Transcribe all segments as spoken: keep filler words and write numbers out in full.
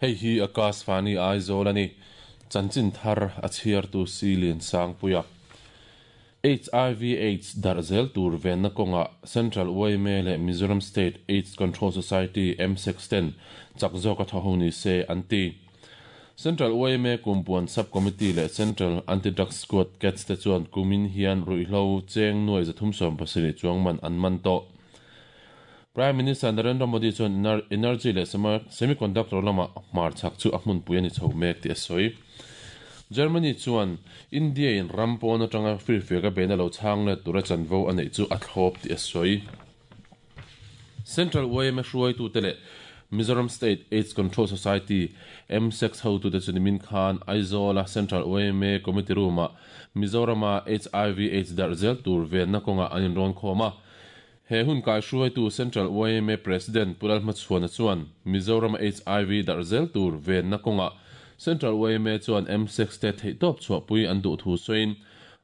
Hei hi Akashvani Aizawl a ni. Chanchin thar a chhiartu Silian Sangpuia. H I V AIDS darh zel tur venna kawnga Central Y M A leh Mizoram State AIDS Control Society M six ten chak zawka thaw ho ni se an ti. Central Y M A kumpuan Sub-Committee leh Central Anti-Drug Squad CATS te chuan kumin hian ruihhlo cheng nuai zathum sawm pasarih chuang man an man tawh. Prime Minister Narendra Modi chuan energy leh semiconductor lama hmar chak chu a hmunpui a ni chho mek tih a sawi. Germany chuan India in ram pawn atanga firfiak a beina lo chhang le tura chanvo a neih chu a thlawp tih a sawi. Central Y M A hruaitu te leh Mizoram State AIDS Control Society M six hotu te chu nimin khan Aizawl a Central Y M A Committee Room a Mizorama H I V AIDS darh zel tur venna kawnga an inrawn khawm a. He hun kai hruaitu Central Y M A President Pulal Hmachhuana chuan Mizoram H I V darh zel tur venna kawnga Central Y M A chuan M six te theihtawp chhuahpui an duh thu sawiin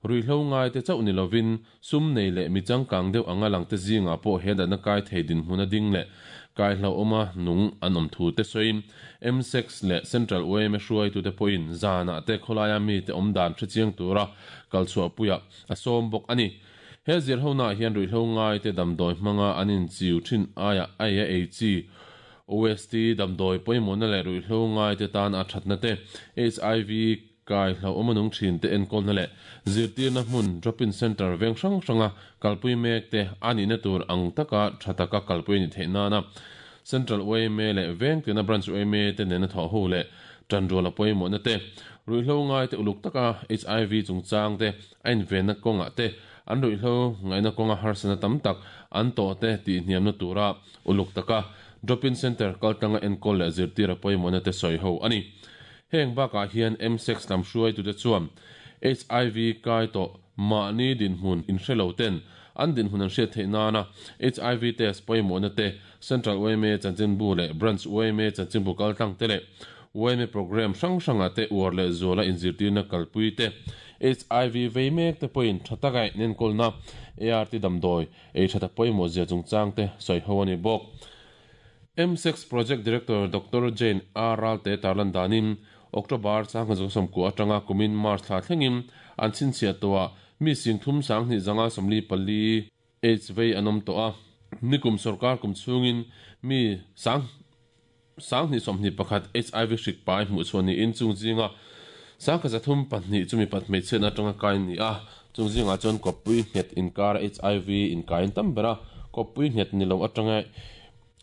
ruihhlo ngai te chauh ni lovin sum nei leh mi changkang deuh anga lang te zingah pawh he datna kai thei dinhmun a ding leh kai hlo awma nung an awm thu te sawiin M six leh Central Y M A hruaitu te pawhin zanah te khawlaia mi te awm dan hrechiang tura kal chhuahpuia a sawm bawk a ni. He zir ho na hian ruihhlo ngai te damdawi hmanga an inchiu thin aia ai a ei chi O S T damdawi pawimawhna leh ruihhlo ngai te tan a thatna te H I V kai hlo awma nung thin te enkawlna leh zirtirna hmun drop-in center veng hrang hranga kalpui mek te a nihna tur ang taka tha taka kalpui ni theih nana Central Y M A leh veng tina branch Y M A te nena thaw ho leh tanrual a pawimawhna te ruihhlo ngai te uluk taka H I V chungchang te a invenna kawngah te an ruihhlo ngaihna kawnga harsana tam tak an tawh te tih hniamna tura uluk taka drop-in center kaltanga enkawl leh zirtir a pawimawhna te sawi ho a ni. Heng bakah hian M six lam hruaitu te chuan H I V kai tawh mahni dinhmun inhrelo ten an dinhmun an hriat theih nana H I V test pawimawhna te Central Y M A chanchinbu leh Branch Y M A chanchinbu kaltlang te leh Y M A program hrang hranga te uar leh zuala inzirtirna kalpui te H I V vei mek te pawhin tha taka inenkawlna A R T damdawi ei thata pawimawh zia chungchang te sawi ho a ni bawk. M six Project Director Doctor Jane R. Ralte tarlan danin October chang zong somku atanga kumin March thla thlengin an chinchhia toa mi sing thum sang hnih zanga sawmli pali H V an awm tawh a. Nikum sarkar kum chhungin mi sang sang hnih sawmhnih pakhat H I V hrik pai hmuh chhuah niin chung zinga sang kha zathum pahnih chumi pat hmeichhiatna atanga kai ni a. Chung zingah chuan kawppui nghet inkar H I V inkain tam ber a. Kawppui nghet ni lo atanga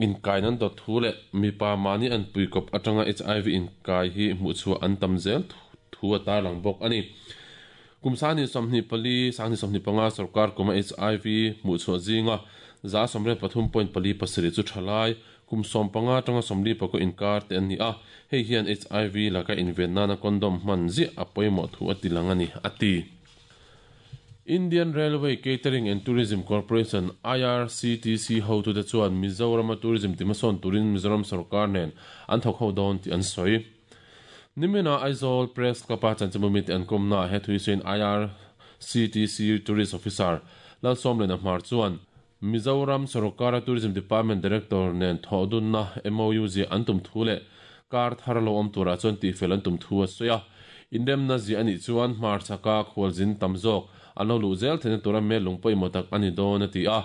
inkai nan dawt thu leh mipa mahni an pui kawp atanga H I V inkai hi hmuh chhuah an tam zel thu a tarlang bawk a ni. Kum sangni sawmhnih pali sangni sawmhnih panga sarkar kuma H I V hmuh chhuah zinga za sawmriat pathum point pali pasarih chu thalai kum sawm panga atanga sawmli pakua inkar te an ni a. Hei hian H I V laka inven nana condom hman ziah a pawimawh thu a ti lang a ni a ti. Indian Railway Catering and Tourism Corporation I R C T C hotu te chuan Mizoram Tourism timasawn turin Mizoram sarkar nen an thawk ho dawn tih an sawi. Nimina Aizawl Press Club a chanchinbu te an kawmna he thuisawiin I R C T C Tourist Officer Lalsawmliana Hmar chuan Mizoram Sarkara Tourism Department Director nen thawhdunna M O U zia an tum thu leh kar thar lo awm turah chuan tihfel an tum thu a sawi a. Indemna zia anih chuan hmar chaka khualzin tam zawk an lo luh zel theihna tura mel lung pawimawh tak a ni dawn a ti a.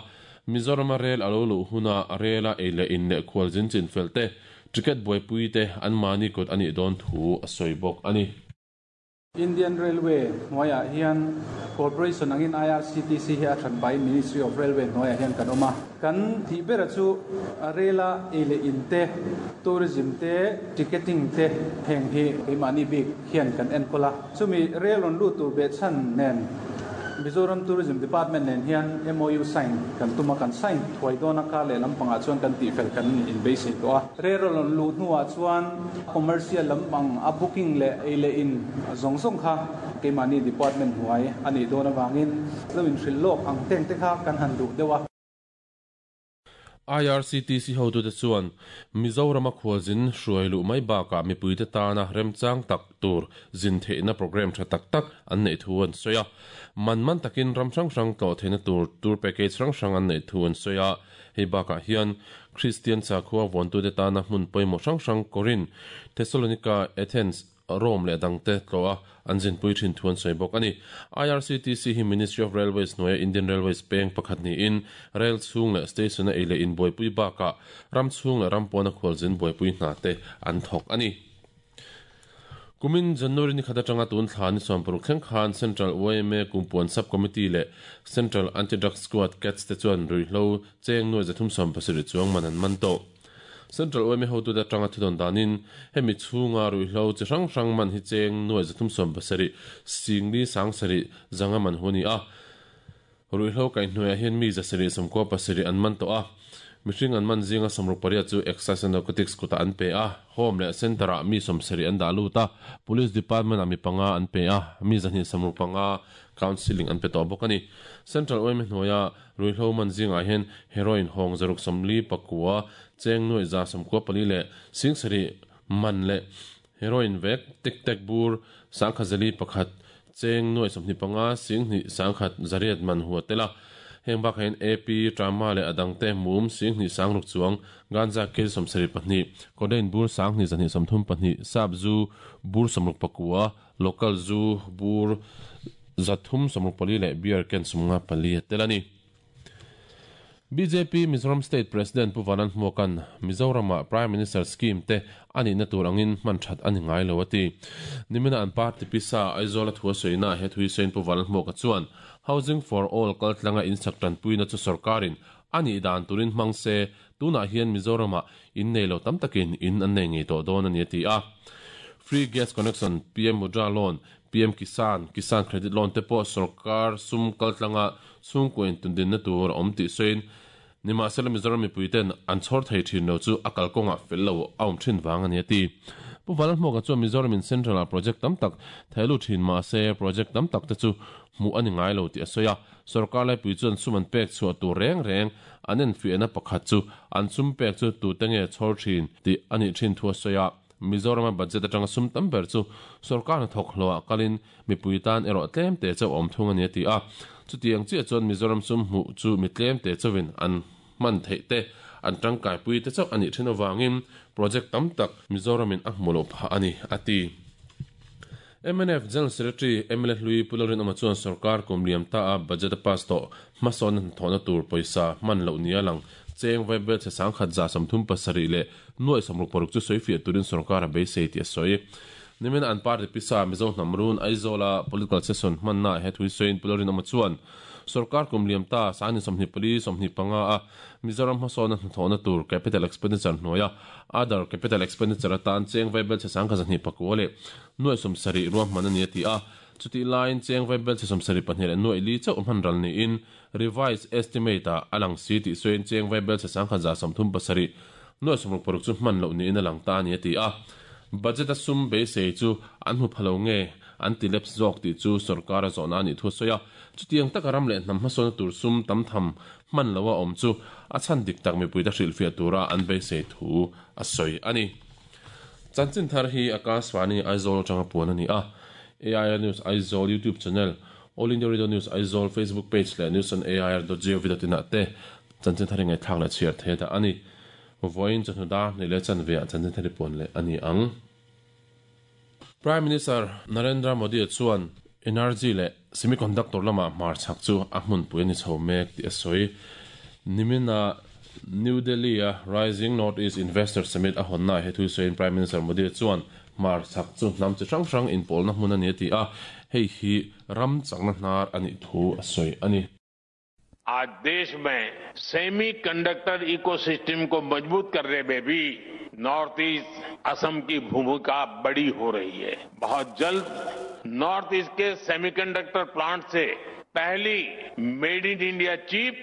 Mizoram a rel a lo luh huna a rela ei leh in leh khualzin chinfel te ticket buaipui te an mahni kut anih dawn thu a sawi bawk a ni. Indian Railway hnuaiah hian Corporation angin I R C T C hi a that by Ministry of Railway hnuaiah hian kan awm a. Kan tih bera chu a rela ei leh in te, tourism te, ticketing te heng hi keimahni bik hian kan enkawl a. Chumi rail rawn lut tur beh chhan nen Mizoram Tourism Department nen hian M O U sign kan tuma kan sign thuai dawn a kar leh lampangah chuan kan tihfel kan inbeisei tawh a. Rail rawn luh hnuah chuan commercial lampang a booking leh ei leh in zawng zawng kha keimahni department hnuai a nih dawn awangin lo inhrilh lawk ang teng te kha kan han duh deuh a. I R C T C hotute chuan Mizoram a khualzin hruai luh mai bakah mipuite tana remchang tak tur zin theihna program tha tak tak an neih thu an sawi a. Man man takin ram hrang hrang tlawh theihna tur tour package hrang hrang an neih thu an sawi a. Hei bakah hian Christian sakhua vuantute tana hmun pawimawh hrang hrang Corinth, Thessalonica, Athens, Rome leh dangte tlawh a an zinpui thin thu an sawi bawk ani. I R C T C hi Ministry of Railways hnuaia Indian Railways peng pakhat niin rail chhung leh station a ei leh in buaipui bakah ram chhung leh ram pawna khualzin buaipui hna te an thawk ani. Kumin January ni khat atanga tun thla ni sawm paruk thleng khan Central Y M A Kumpuan Sub Committee leh Central Anti-Drug Squad CATS te chuan ruihhlo cheng nuai zathum sawm pasarih chuang man an man tawh. Central Y M A hotute atanga thudon danin hemi chhunga ruihhlo chi hrang hrang man hi cheng nuai zathum sawm pasarih singli sang sarih zanga man hu ani a. Ruihhlo kaihhnuaiah hian mi zasarih sawmkua pasarih an man tawh a. Mihring an man zinga sawmruk pariat chu Excise and Narcotics kuta an pe a. Home leh center ah mi sawmsarih an dah lut a. Police Department ah mi panga an pe a. Mi zahnih sawmruk panga counselling an pe tawh bawk ani. Central Y M A hnuaia ruihhlo man zingah hian heroin hawng zaruk sawmli pakua cheng nuai za sawmkua pali leh singsarih man leh heroin vek tic tac bur sangkhat zali pakhat cheng nuai sawmhnih panga singhnih sangkhat zariat man hu a tel a. Heng bakah hian A P, Tramadol leh adangte mum singhnih sangruk chuang, ganja kg sawmsarih pahnih, codeine bur sanghnih zahnih sawmthum pahnih, sap zu bur sawmruk pakua, local zu bur zathum sawmruk pali leh beer can sawmnga pali a tel ani. B J P Mizoram State President Pu Vanlalhmuaka'n Mizorama Prime Minister scheme te anihna tur angin hman that ani ngai lo a ti. Nimina an party pisa Aizawl a thu a sawina he thui sawiin Pu Vanlalhmuaka chuan Housing for All kaltlanga insak tanpuina chu sarkarin ani dan turin hmang se tunah hian Mizorama in nei lo tam takin in an nei ngei tawh dawn ani a ti a. Free gas connection, P M Mudra Loan, P M Kisan, Kisan Credit Loan te pawh sarkar sum kaltlanga chhungkaw intundinna tur a awm tih sawiin nimahsela Mizoram mipuiten an chhawr thei thin lo chu a kalkawngah fel lo a awm thin vang ani a ti. Pu Vanlalhmuaka chuan Mizoram in Central ah project tam tak theilu thin mahse project tam tak te chu hmuh ani ngai lo tih a sawi a. Sarkar laipui chuan sum an pek chhuah tur reng reng an enfiahna pakhat chu an sum pek chu tute nge chhawr thin tih ani thin thu a sawi a. Mizorama budget atanga sum tam ber chu sarkar hnathawk hlawhah kalin mipui tan erawh tlem te chauh a awm thung ani a ti a. Chutiang chiah chuan Mizoram sum hmuh chu mi tlem te chauhin an hman theih te an tangkai pui te chauh ani thin awangin project tam tak Mizoramin a hmu lo phah ani a ti. M N F General Secretary M L A Hlui Pu Lalrinawma chuan sarkar kum liam ta a budget a pass tawh hmasawn hnathawhna tur pawisa hman loh nia lang cheng vaibelchhe sangkhat za sawmthum pasarih leh nuai sawmruk paruk chu sawi fiah turin sarkar a beisei tih a sawi. Nimin an party pisa Mizo hnam run Aizawla political session hmanna he thui sawiin Pu Lalrinawma chuan sarkar kum liam ta sangni sawmhnih pali sawmhnih panga a Mizoram hmasawn hnathawhna tur capital expenditure hnuaia other capital expenditure atan cheng vaibelchhe sangkhat zahnih pakua leh nuai sawmsarih ruahman ani a ti a. Chuti laiin cheng vaibelchhe sawmsarih pahnih leh nuai li chauh hman ral niin revised estimate ah a lang si tih sawiin cheng vaibelchhe sangkhat za sawmthum pasarih nuai sawmruk paruk chu hman loh niin a lang ta ani a ti a. Budget a sum beisei chu an hmu phalo nge an ti lapse zawk tih chu sarkar a zawhna ani thu a sawi a. Chutiang taka ram leh hnam hmasawnna tur sum tam tham hman lo a awm chu a chhan dik tak mipuite hrilhfiah tura an beisei thu a sawi ani. Chanchin thar hi Akashvani Aizawl atanga puan ani a. A I R News Aizawl YouTube channel, All India Radio News Aizawl Facebook page leh news on A I R dot gov dot in ah te chanchin thar hi ngaihthlak leh chhiar thei ta ani. Vawiin chawhnu dar hnih leh chanve ah chanchin thar hi puan leh ani ang. Prime Minister Narendra Modi chuan energy leh semiconductor lama hmar chak chu a hmunpui ani chho mek tih a sawi. Nimina New Delhi a Rising North East Investor Summit a hawnna he thui sawiin Prime Minister Modi chuan hmar chak chu hnam chi hrang hrang inpawlna hmun ani a ti a. Hei hi ram chakna hnar ani thu a sawi ani. आज देश में semiconductor ecosystem को मजबूत करने में भी north east Assam की भूमिका बड़ी हो रही है। बहुत जल्द नॉर्थ ईस्ट के सेमीकंडक्टर प्लांट से पहली made in India chip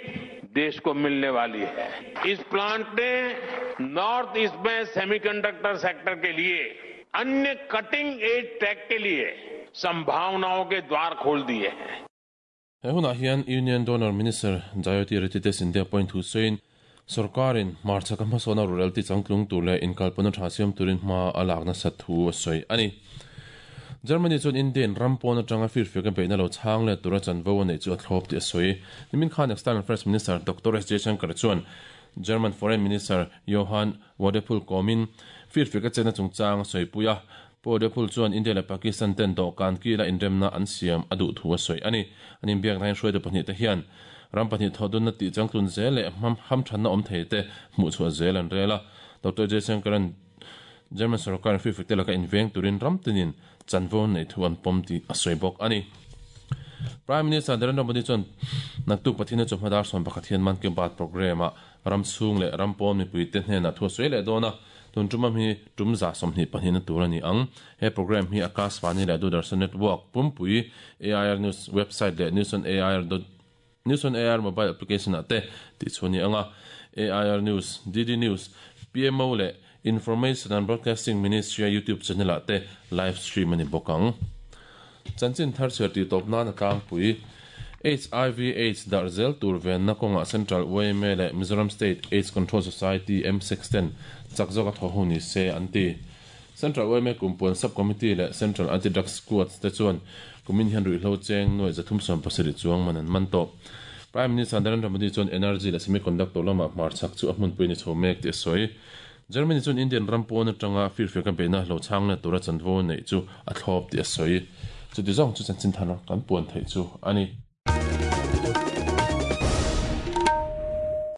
देश को मिलने वाली है। इस प्लांट ने नॉर्थ ईस्ट में सेमीकंडक्टर सेक्टर के लिए अन्य cutting edge take के लिए संभावनाओं के द्वार खोल दिए हैं। He hunah hian Union D O N E R Minister Jyotiraditya Scindia point thu sawiin Sarkarin marcha ka hmasawna rural ti changtlung tur leh inkalpawna tha siam turin hma a lakna sat thu a sawi ani. Germany chuan Indian ram pawn atanga firfiak a beihna lo chhang leh tura chanvo a neih chu a thlawp tih a sawi. Nimin khan External Affairs Minister Doctor S Jaishankar chuan German Foreign Minister Johann Wadephul kawmin firfiak a chenna chungchang a sawi pui a. Wadephul chuan India leh Pakistan ten dawhkan kila inremna an siam a duh thu a sawi ani. An inbiak na hian hruaitu pahnih te hian ram pahnih thawhdunna tih changtlun zel leh ham thanna awm thei te hmuh chhuah zel an rel a. Doctor Jaishankaran German sarkar firfiak te laka inveng turin ram tinin chanvo nei thu an pawm tih a sawi bawk ani. Prime Minister Narendra Modi chuan naktuk pathina chu hmadar sawm pakhat hian Man Ki Baat program a ram chhung leh ram pawn mipui te hnenah thu a sawi leh dawn a. Tun tum am hi tum za sawmhnih pahnih na tur ani ang. He program hi Akashvani leh Doordarshan Network pumpui A I R News website leh News on A I R dot News on A I R mobile application ah te tih chu ani anga. A I R News, D D News, P M O leh Information and Broadcasting Ministry YouTube channel ah te live stream ani bawk ang. Chanchin thar chhiar tih tawp nan a tlangpui. H I V AIDS darh zel tur venna kawnga Central Y M A leh Mizoram State AIDS Control Society M six ten chak zawk a thaw hu ni se an ti. Central Y M A kumpuan Subcommittee leh Central Anti-Drug Squad te chuan kumin hian ruihhlo cheng nuai zathum sawm pasarih chuang man an man tawh. Prime Minister Narendra Modi chuan energy leh semiconductor lama hmarchhak chu a hmunpui ni chho mek tih a sawi. Germany chuan Indian ram pawn atanga firfiak a beihna lo chhang leh tura chanvo neih chu a thlawp tih a sawi. Chuti zawng chu chanchin thar kan puan theih chu ani.